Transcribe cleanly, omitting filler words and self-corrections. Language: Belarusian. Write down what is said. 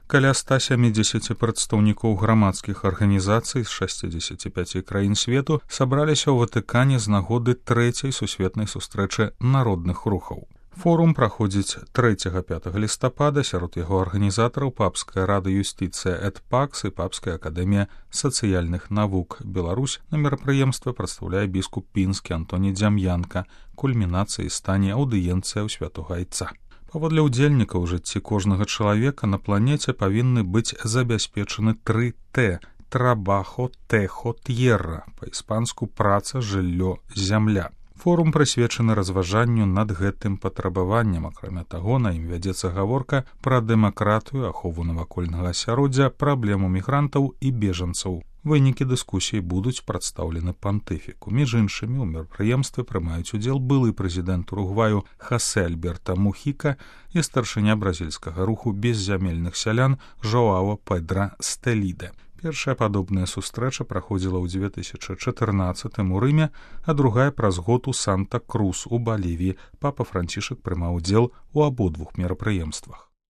Каля 170 прадстаўнікоў грамадскіх арганізацый з 65 краін свету сабраліся ў Ватыкане з нагоды трэцяй сусветнай сустрэчы народных рухаў. Форум праходзіць 3-5 лістапада, сярод яго арганізатараў Папская рада юстыцыя эт пакс і Папская акадэмія сацыяльных навук Беларусь. На мерапрыемстве прадстаўляе біскуп пінскі Антоні Дзям'янка. Кульмінацыяй стане аўдыенцыя ў святога айца. Паводле ўдзельнікаў у жыцці кожнага чалавека на планеце павінны быць забяспечаны 3 Т – трабахо, тэхо, т'ерра, па-іспанску праца, жыллё, зямля. Форум прысвечаны разважанню над гэтым патрабаваннем. Акрамя таго, на ім вядзецца гаворка пра дэмакратыю, ахову навакольнага асяроддзя, праблему мігрантаў і бежанцаў. Вынікі дыскусіі будуць прадстаўлены пантыфіку. Між іншымі, у мерапрыемстве прымаюць удзел былы прэзідэнт Уругваю Хасе Альберта Мухіка і старшыня бразільскага руху беззямельных сялян Жоао Педра Стэліде. Першая падобная сустрэча праходзіла ў 2014 у Рыме, а другая праз год у Санта-Крус у Балівіі. Папа Францішак прымаў удзел у абодвух мерапрыемствах.